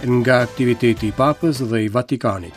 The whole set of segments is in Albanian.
Nga aktiviteti i Papës dhe i Vatikanit.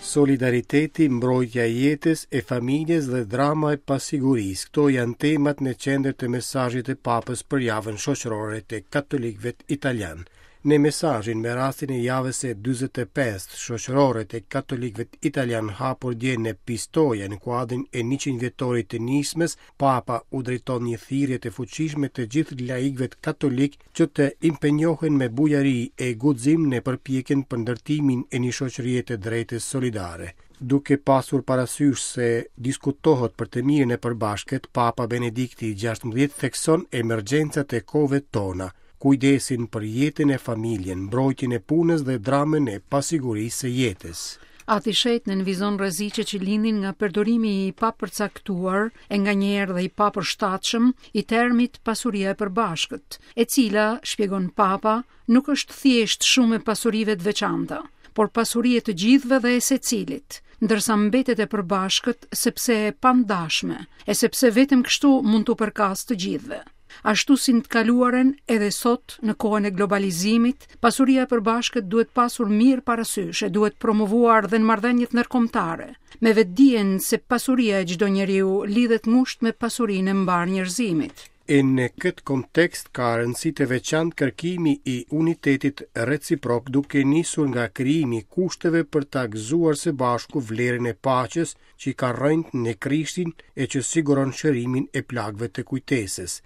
Solidariteti, mbrojtja e jetës, e familjes dhe drama e pasigurisë, këto janë temat në qendër të mesazhit të Papës për javën shoqërore të katolikëve italianë. Në mesazhin me rastin e javës së 45 shoqërore të katolikëve italianë hapur dje në Pistoia në kuadrin e 100 vjetorit të nismës, Papa u drejton një thirrje të fuqishme të gjithë laikëve katolikë që të impenjohen me bujari e guxim në përpjekjen për ndërtimin e një shoqërie të drejtë solidare. Duke pasur parasysh se diskutohet për të mirën e përbashkët, Papa Benedikti XVI thekson emergjencat e kohëve tona, kujdesin për jetën e familjen, mbrojtjen e punës dhe dramën e pasigurisë së jetës. Ati i Shenjtë nënvizon rreziqet që lindin nga përdorimi i papërcaktuar e nganjëherë dhe i papërshtatshëm i termit pasuria e përbashkët, e cila, shpjegon Papa, nuk është thjesht shumë e pasurive të veçanta, por pasuri e të gjithëve dhe e secilit, ndërsa mbetet e përbashkët sepse e pandashme, e sepse vetëm kështu mund t'u përkasë të gjithëve. Ashtu si në të kaluarën, edhe sot, në kohën e globalizimit, pasuria e përbashkët duhet pasur mirë parasysh e duhet promovuar dhe në marrëdhëniet ndërkombëtare, me vetëdijen se pasuria e çdo njeriu lidhet ngushtë me pasurinë e mbarë njerëzimit. E në këtë kontekst ka rëndësi të veçantë kërkimi i unitetit reciprok duke nisur nga krijimi i kushteve për ta gëzuar së bashku vlerën e paqes që i ka rrënjët në Krishtin e që siguron shërimin e plagëve të kujtesës.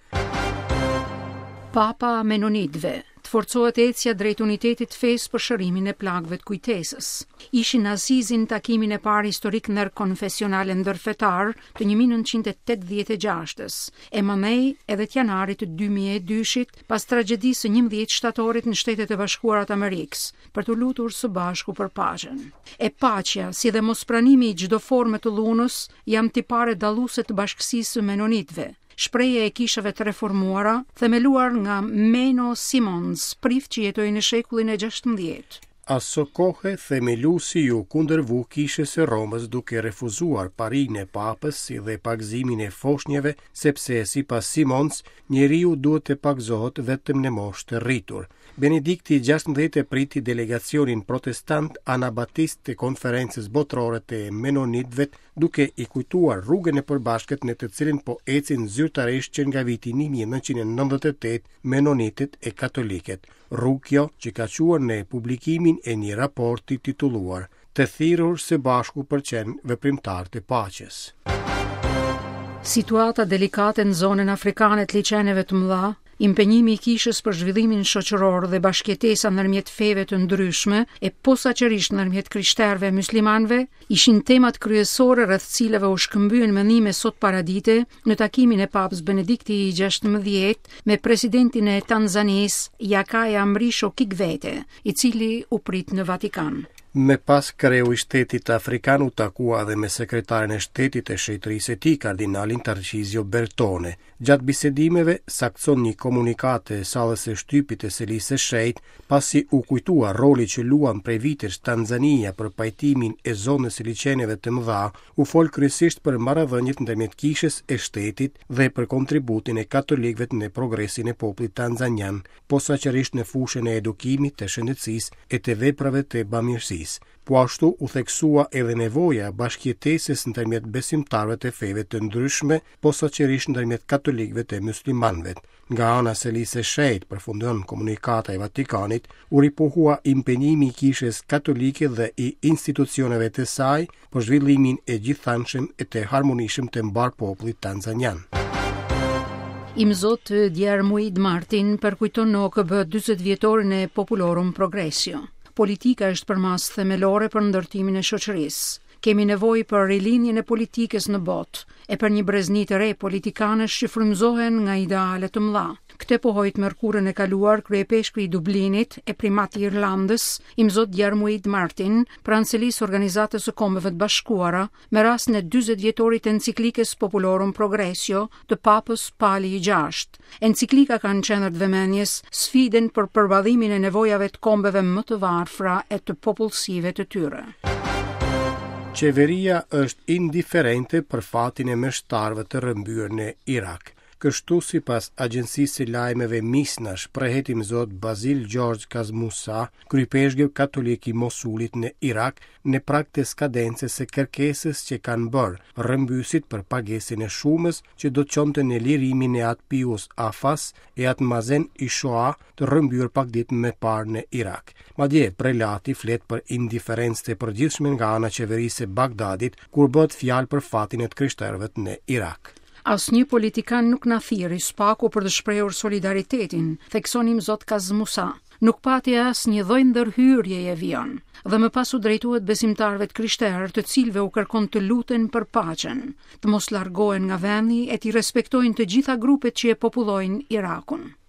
Papa Menonitëve, të forcohet ecja drejt unitetit të fesë për shërimin e plagëve të kujtesës. Ishin në Asizi në takimin e parë historik ndërkonfesional e ndërfetar të 1986-ës, e mandej edhe të janarit të 2002-shit pas tragjedisë së 11 shtatorit në Shtetet e Bashkuara të Amerikës, për t'u lutur së bashku për paqen. E paqja, si dhe mospranimi i çdo forme të dhunës, janë tipare dalluese të bashkësisë së Menonitëve, shprehje e kishave të reformuara, themeluar nga Menno Simons, prift që jetoi në shekullin e 16. Asokohe, themeluesi iu kundërvu kishës së Romës duke refuzuar parinë e papës si dhe pagëzimin e foshnjeve, sepse sipas Simons, njeriu duhet të pagëzohet vetëm në moshë të rritur. Benedikti i 16 e priti delegacionin protestant anabatist të Konferencës Botërore të Menonitëve duke i kujtuar rrugën e përbashkët në të cilën po ecin zyrtarisht që nga viti 1998 Menonitët e katolikët, rrugë kjo që ka çuar në publikimin e një raporti titulluar Të thirrur së bashku për qenë veprimtarë të paqes. Situata delikate në zonën afrikane të liqeneve të mëdha, impenjimi i kishës për zhvillimin shoqëror dhe bashkëjetesa ndërmjet feve të ndryshme e posaçërisht ndërmjet krishterëve e myslimanëve, ishin temat kryesore rreth cilave u shkëmbyen mendime sot paradite në takimin e Papës Benedikti i 16 me presidentin e Tanzanisë, Jakaya Mrisho Kikwete, i cili u prit në Vatikan. Më pas kreu i shtetit afrikan u takua edhe me sekretarin e shtetit të shenjtërisë së tij, kardinalin Tarcizio Bertone. Gjatë bisedimeve, saktëson një komunikatë e sallës së shtypit të Selisë së Shenjtë, pasi u kujtua roli që luan prej vitesh Tanzania për pajtimin e zonës së liqeneve të mëdha, u fol kryesisht për marrëdhëniet ndërmjet kishës e shtetit dhe për kontributin e katolikëve në progresin e popullit tanzanian posaçërisht në fushën e edukimit, të shëndetësisë e të veprave të bamirësisë. Po ashtu u theksua edhe nevoja e bashkëjetesës ndërmjet besimtarëve të feve të ndryshme, posaçërisht ndërmjet katolikëve e myslimanëve. Nga ana e Selisë së Shenjtë, përfundon komunikata e Vatikanit, u ripohua impenjimi i Kishës Katolike dhe i institucioneve të saj për zhvillimin e gjithanshëm e të harmonishëm të mbarë popullit tanzanian. Imzot Diarmuid Martin përkujton në OKB 40 vjetorin e Populorum Progressio. Politika është përmasë themelore për ndërtimin e shoqërisë. Kemi nevojë për rilindjen e politikës në botë, e për një brezni të re politikanësh që frymëzohen nga ideale të mëdha. Këtë pohoi të mërkurën e kaluar kryeipeshkvi i Dublinit e primat i Irlandës, Imzot Diarmuid Martin, pranë selisë së Organizatës së Kombeve të Bashkuara, me rastin e 40 vjetorit të enciklikës Populorum Progressio të Papës Pali i VI. Enciklika ka në qendër të vëmendjes sfidën për përballimin e nevojave të kombeve më të varfra e të popullsive të tyre. Qeveria është indiferente për fatin e meshtarëve të rrëmbyer në Irak. Kështu sipas agjencisë së lajmeve Misna shprehet imzot Bazil George Kazmusa, kryeipeshkëv katolik i Mosulit në Irak, në prag të skadencës së kërkesës që kanë bërë rrëmbyesit për pagesën e shumës që do të çonte në lirimin e At Pius Afas e At Mazen Ishoa të rrëmbyer pak ditë më parë në Irak. Madje, prelati flet për indiferencë të përgjithshme nga ana e qeverisë së Bagdadit kur bëhet fjalë për fatin e të krishterëve në Irak. Asnjë politikan nuk na thirri së paku për të shprehur solidaritetin, thekson imzot Kazmusa. Nuk pati asnjë lloj ndërhyrjeje vijon. Dhe më pas u drejtohet besimtarëve të krishterë, të cilëve u kërkon të luten për paqen, të mos largohen nga vendi e t'i respektojnë të gjitha grupet që e popullojnë Irakun.